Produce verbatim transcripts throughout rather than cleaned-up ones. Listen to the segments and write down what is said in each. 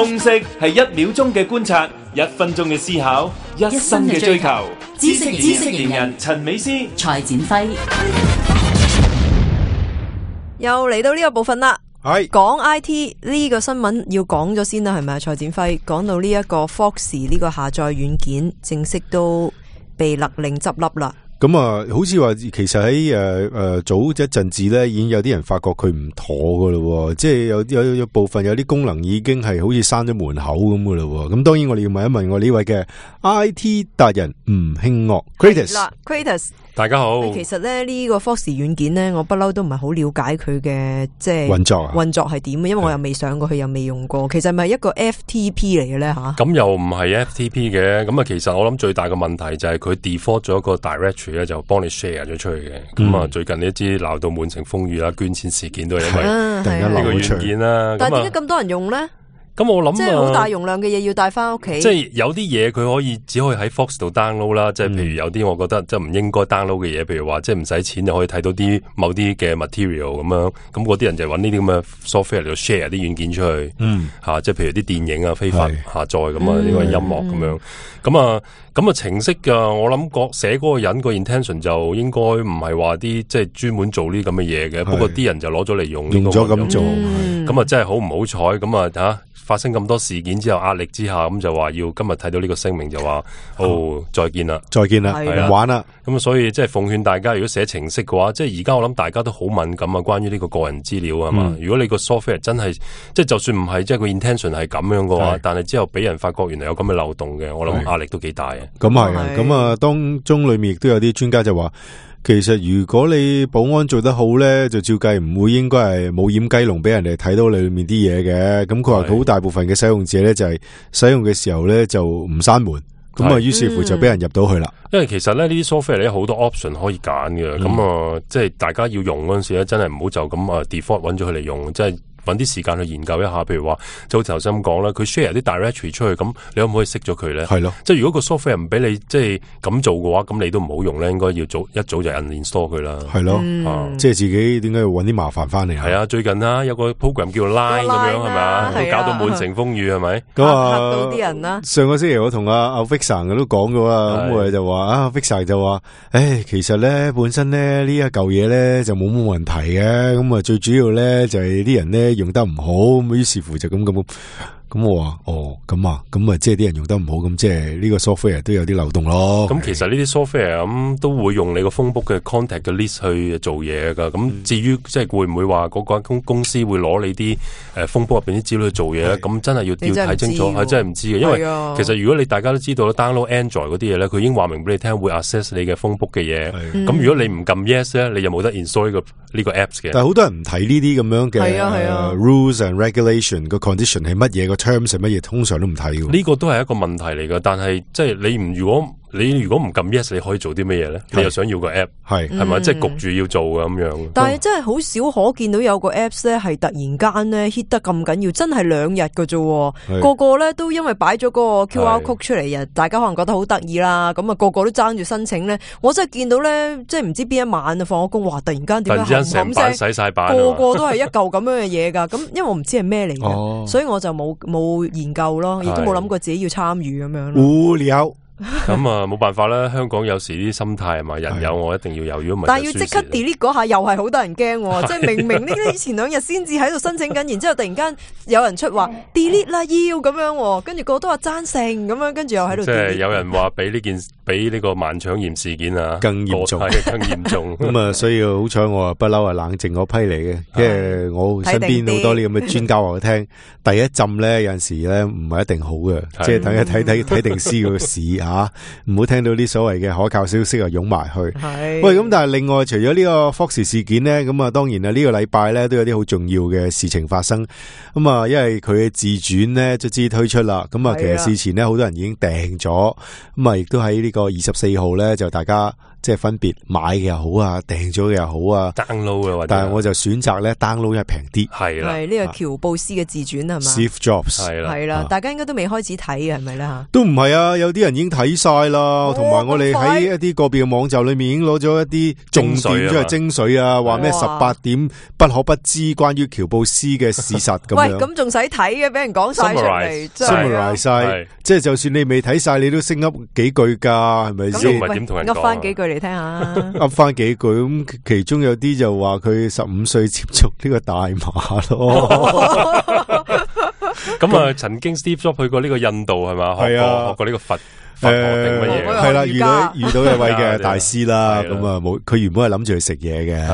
通識係一秒鐘嘅觀察，一分鐘嘅思考，一生嘅追求。知識知識型人陳美詩、蔡展輝，又嚟到呢個部分啦。係講 I T 呢個新聞要講咗先啦，係咪啊？蔡展輝講到呢一個 Foxy 呢個下載軟件正式都被勒令執笠啦。咁啊，好似話其實喺誒誒早一陣子咧，已經有啲人發覺佢唔妥噶咯，即係有有有部分有啲功能已經係好似閂咗門口咁噶咯。咁當然我哋要問一問我呢位嘅 I T 達人吳興岳 Kratos 啦 Kratos， 大家好。其實咧呢個 Foxy 軟件咧，我不嬲都唔係好了解佢嘅即係運作啊，運作係點，因為我又未上過去，又未用過。其實係咪一個 F T P 嚟嘅咧吓？咁又唔係 F T P 嘅，咁啊其實我諗最大嘅問題就係佢 default 咗一個 directory 咧，就幫你 share 咗出去嘅。咁啊、嗯、最近呢一支鬧到滿城風雨啦，捐錢事件都係因為突然間呢個軟件啦。但係點解咁多人用咧？咁我諗即係好大容量嘅嘢要帶翻屋企，即係有啲嘢佢可以只可以喺 Fox 度 download 啦，即係譬如有啲我覺得即係唔應該 download 嘅嘢，譬如話即係唔使錢就可以睇到啲某啲嘅 material 咁樣，咁嗰啲人就揾呢啲咁嘅 software 嚟到 share 啲軟件出去，嗯吓、啊，即係譬如啲電影啊非法下載咁啊，呢個音樂咁樣，咁啊咁啊程式噶，我諗個寫嗰個人個 intention 就應該唔係話啲即係專門做呢咁嘅嘢嘅，不過啲人就攞咗嚟用，用咗咁做，咁啊真係好唔好彩，咁啊吓。發生咁多事件之後，壓力之下，咁就話要今日睇到呢個聲明就話，哦，再見啦，再見啦，唔玩啦。咁所以即係奉勸大家，如果寫程式嘅話，即係而家我諗大家都好敏感啊，關於呢個個人資料啊嘛。嗯、如果你個 software 真係，即係就算唔係，即係個 intention 係咁樣嘅話，但係之後俾人發覺原來有咁嘅漏洞嘅，我諗壓力都幾大嘅。咁係啊，咁啊，當中裏面亦都有啲專家就話。其實如果你保安做得好咧，就照計唔會應該係冇掩雞籠俾人哋睇到裏面啲嘢嘅。咁佢話好大部分嘅使用者咧就係使用嘅時候咧就唔閂門，咁啊於是乎就俾人入到去啦。因為其實咧呢啲 software 咧好多 option 可以揀嘅，咁啊、嗯、即係大家要用嗰陣時咧，真係唔好就咁啊 default 揾咗佢嚟用，即係。搵啲時間去研究一下，譬如話，就好似頭先咁講啦，佢 share 啲 directory 出去，咁你可唔可以熄咗佢咧？係咯，即係如果個 software 唔俾你即係咁做嘅話，咁你都唔好用咧，應該要早一早就 uninstall 佢啦。係咯，嗯啊、即係自己點解要搵啲麻煩翻嚟啊？係啊，最近啊有個 program 叫 Line 咁樣係咪啊，都搞到滿城風雨係咪？咁啊嚇到啲人啦！上個星期我同阿阿 Vixen 都講咗啦，咁我哋就話啊 Vixen 就話，誒其實咧本身咧呢一嚿嘢咧就冇乜問題嘅，咁啊最主要咧就係啲人咧用得唔好。咁於是乎就咁咁咁我話哦咁啊咁啊即係啲人用得唔好，咁即係呢個 software 都有啲漏洞咯。咁其實呢啲 software 咁都會用你個 phone book 嘅 contact 嘅 list 去做嘢噶。咁、嗯、至於即係會唔會話嗰間公公司會攞你啲誒 phone book 入邊啲資料去做嘢咧？咁真係要要睇清楚，係真係唔知嘅。因為其實如果你大家都知道 download Android 嗰啲嘢咧，佢已經話明俾你聽會 access 你嘅 phone book 嘅嘢。咁如果你唔撳 yes 咧，你又冇得 install 呢個呢個 apps 嘅。但係好多人唔睇呢啲咁樣嘅、啊啊 uh, rules and regulation 個 condition 係乜嘢，個 terms 係乜嘢，通常都唔睇嘅。呢個都係一個問題嚟噶，但係即係你唔如果。你如果唔撳 yes， 你可以做啲乜嘢咧？你又想要個 app， 係係咪？即係焗住要做嘅咁樣。但係真係好少可見到有個 apps 咧，係突然間咧 hit 得咁緊要，真係兩日嘅啫。個個咧都因為擺咗嗰個 Q R code 出嚟，大家可能覺得好得意啦。咁啊，個個都爭住申請咧。我真係見到咧，即係唔知邊一晚啊，放咗工，哇！突然間點解成版洗晒版，個個都係一嚿咁樣嘅嘢噶。咁因為我唔知係咩嚟嘅，所以我就冇冇研究咯，亦都冇諗過自己要參與咁樣。無聊。咁啊，冇辦法啦！香港有時啲心態係嘛，人有我一定要有，如果唔係，但係要即刻 delete 嗰下又係好得人驚，即係明明呢啲前兩日先至喺度申請緊，然之後突然間有人出話 delete 啦，要咁樣，跟住個個都話贊成咁樣，跟住又喺度。即係有人話比呢件比呢個萬腸炎事件啊更嚴重，更嚴重。咁啊，所以好彩我啊不嬲啊冷靜嗰批嚟嘅，因為我身邊好多呢咁嘅專家話我聽，第一浸咧有陣時咧唔係一定好嘅，即係等一睇睇睇定師個市吓。唔好聽到啲所謂嘅可靠消息啊，湧埋去。係喂，咁但係另外除咗呢個 Foxy 事件呢，咁啊，當然啊，呢個禮拜咧都有啲好重要嘅事情發生。咁啊，因為佢嘅自傳呢，卒之推出啦。咁啊，其實事前呢，好多人已經訂咗。咁啊，亦都喺呢個二十四號咧，就大家即係分別買嘅又好啊，訂咗嘅又好啊 ，download 啊，但係我就選擇咧 download 係平啲。係啦，係呢個喬布斯嘅自傳係嘛 ？Steve Jobs 係啦，係啦，大家應該都未開始睇嘅係咪咧吓？都唔係啊，有啲人已經睇睇晒啦，同埋我哋喺一啲個別嘅網站裏面已經攞咗一啲重點，即係精髓啊，話咩十八點不可不知關於喬布斯嘅事實咁樣。喂，咁仲使睇嘅，俾人講晒出嚟 ，summarize 晒，即係就算你未睇晒，你都升噏幾句噶，係咪先？噏翻幾句嚟聽下，噏翻幾句咁，其中有啲就話佢十五歲接觸呢個大麻咯。咁啊，曾經 Steve Jobs 去過呢個印度係嘛？係啊，學過呢個佛。誒，係啦，遇到遇到一位嘅大師啦，咁啊冇，佢原本係諗住去食嘢嘅，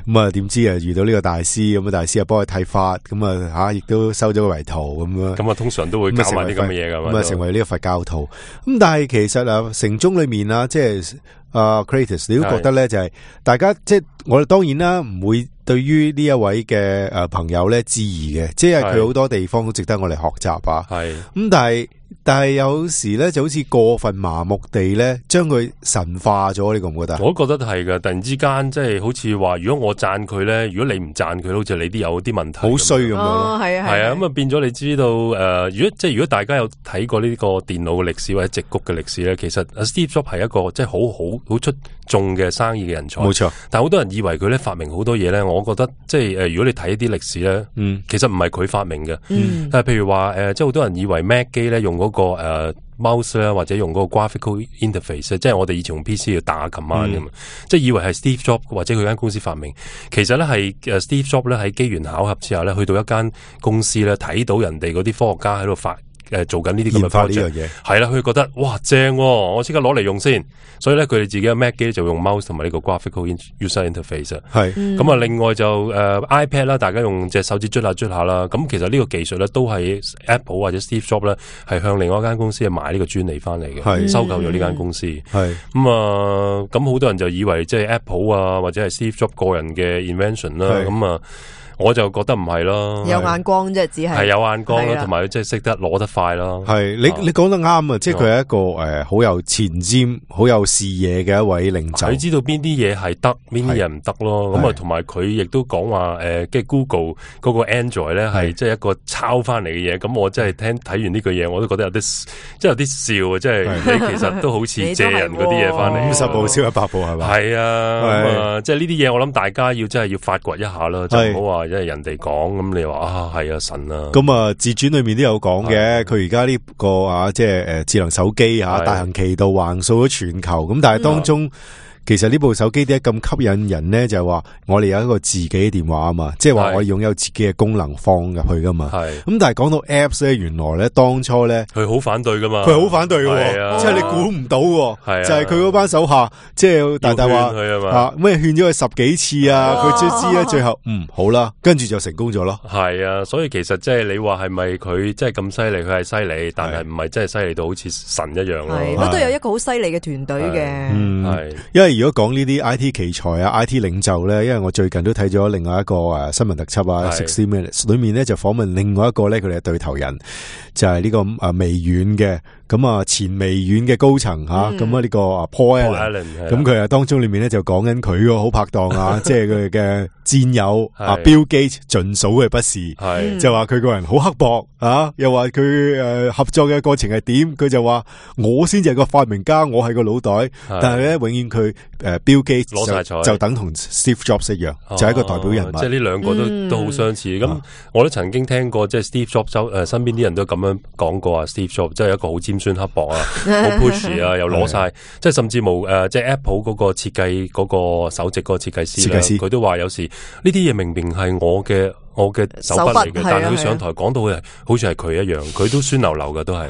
咁啊點知啊遇到呢個大師，咁啊大師啊幫佢剃髮，咁啊吓亦都收咗個為徒咁樣，咁啊通常都會教埋啲咁嘅嘢噶嘛，咁啊成為呢個佛教徒，咁但係其實啊城中裏面啊，即係啊 Kratos， 你都覺得咧就係大家即係我哋當然啦，唔會對於呢一位嘅誒朋友咧質疑嘅，即係佢好多地方都值得我哋學習啊，係咁但係。但係有時咧就好似過分麻木地咧，將佢神化咗，你覺唔覺得？我都覺得係噶，突然之間即係好似話，如果我讚佢咧，如果你唔讚佢，好似你啲有啲問題，好衰咁樣咯。係啊，係啊，咁啊變咗你知道誒、呃，如果即係如果大家有睇過呢個電腦嘅歷史或者矽谷嘅歷史咧，其實 Steve Jobs 係一個即係好好好出眾嘅生意嘅人才，冇錯。但係好多人以為佢咧發明好多嘢咧，我覺得即係誒、呃，如果你睇一啲歷史咧，嗯，其實唔係佢發明嘅，嗯，但係譬如話誒、呃，即係好多人以為 Mac 機咧用嗰、那個誒。呃 mouse 咧或者用嗰個 graphical interface， 即係我哋以前用 P C 要打 command 噶嘛，即係以為係 Steve Jobs 或者佢間公司發明，其實咧係誒 Steve Jobs 咧喺機緣巧合之下咧，去到一間公司咧睇到人哋嗰啲科學家喺度發誒做緊呢啲咁嘅 project， 係啦，佢覺得哇正、哦，我即刻攞嚟用先，所以咧佢哋自己嘅 Mac 機就用 mouse 同埋呢個 graphical user interface， 係咁啊，另外就誒、呃、iPad 啦，大家用隻手指捽下捽下啦，咁其實呢個技術咧都係 Apple 或者 Steve Jobs 咧係向另外一間公司買呢個專利翻嚟嘅，收購咗呢間公司，係咁啊，咁好、呃、多人就以為即係 Apple 啊或者係 Steve Jobs 個人嘅 invention 啦，咁啊。我就覺得唔係咯，有眼光啫，只係係有眼光啦，同埋即係識得攞得快咯。係你你講得啱啊！即係佢係一個誒好有前瞻、好有視野嘅一位領袖。佢知道邊啲嘢係得，邊啲嘢唔得咯。咁啊，同埋佢亦都講話誒，即係 Google 嗰個 Android 咧係即係一個抄翻嚟嘅嘢。咁我真係聽睇完呢句嘢，我都覺得有啲即係有啲笑啊！即係你其實都好似借人嗰啲嘢翻嚟，五十步笑一百步係嘛？係啊，咁啊，即係呢啲嘢，我諗大家要真係要發掘一下啦，就唔好話。即係人哋講咁，你話啊係啊神啊！咁啊自傳裏面都有講嘅，佢而家呢個啊即係誒智能手機啊大行其道橫掃咗全球，咁但係當中。其實呢部手機點解咁吸引人咧？就係話我哋有一個自己嘅電話啊嘛，即係話我擁有自己嘅功能放入去噶嘛。係咁，但係講到 Apps 咧，原來咧當初咧佢好反對噶嘛，佢好反對嘅，即係你估唔到，就係佢嗰班手下，即係大大話啊咩勸咗佢十幾次啊，佢最知咧最後嗯好啦，跟住就成功咗咯。係啊，所以其實即係你話係咪佢即係咁犀利？佢係犀利，但係唔係真係犀利到好似神一樣咯。係，都有一個好犀利嘅團隊嘅。嗯，係，因為如果講呢啲 I T 奇才啊 I T 領袖咧，因為我最近都睇咗另外一個誒新聞特輯啊sixty minutes 裏面咧就訪問另外一個咧佢哋嘅對頭人，就係呢個誒微軟嘅。咁啊，前微軟嘅高層吓，咁啊呢個 Paul Allen， 咁佢啊當中裏面咧就講緊佢個好拍檔啊，即係佢嘅戰友啊 Bill Gates 盡數嘅不是，就話佢個人好刻薄啊，又話佢誒合作嘅過程係點，佢就話我先至係個發明家，我係個腦袋，但係咧永遠佢誒 Bill Gates 攞晒彩，就等同 Steve Jobs 一樣，就係一個代表人物，即係呢兩個都都好相似。咁我都曾經聽過，即係 Steve Jobs 誒身邊啲人都咁樣講過啊 Steve Jobs 即係一個好尖酸刻薄啊，好 push 啊，又攞晒，即係甚至冇誒，即係 Apple 嗰個設計嗰個首席嗰個設計師啦，佢都話有時呢啲嘢明明係我嘅。我嘅手筆嚟嘅，但係佢上台講到嘅，好似係佢一樣，佢都酸流流嘅，都係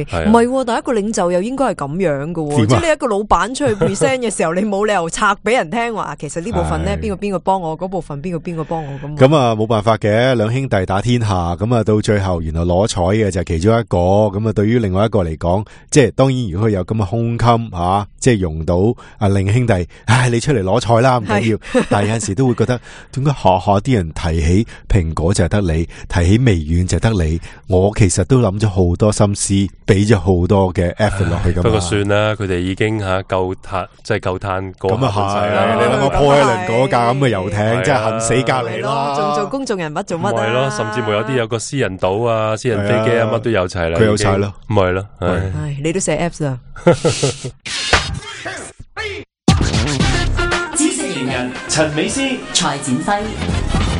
係唔係？但係一個領袖又應該係咁樣嘅，即係你一個老闆出去 present 嘅時候，你冇理由拆俾人聽話，其實呢部分咧邊個邊個幫我，嗰部分邊個邊個幫我咁。咁啊冇辦法嘅，兩兄弟打天下，咁啊到最後原來攞彩嘅就係其中一個，咁啊對於另外一個嚟講，即係當然如果佢有咁嘅胸襟吓，即係用到啊另兄弟，唉你出嚟攞彩啦唔緊要，但係有陣時都會覺得點解下下啲人提起。蘋果就係得你，提起微軟就係得你。我其實都諗咗好多心思，俾咗好多嘅 effort 落去噶嘛。不過算啦，佢哋已經吓夠嘆，即係夠嘆過咁啊係啦。你諗下破一輪嗰架咁嘅遊艇，真係恨死隔離啦。仲做公眾人物做乜啊？係咯，甚至乎有啲有個私人島啊、私人飛機啊，乜都有齊啦。佢有晒咯，唔係咯。唉，你都寫 apps 啦。知識型人陳美詩、蔡展輝。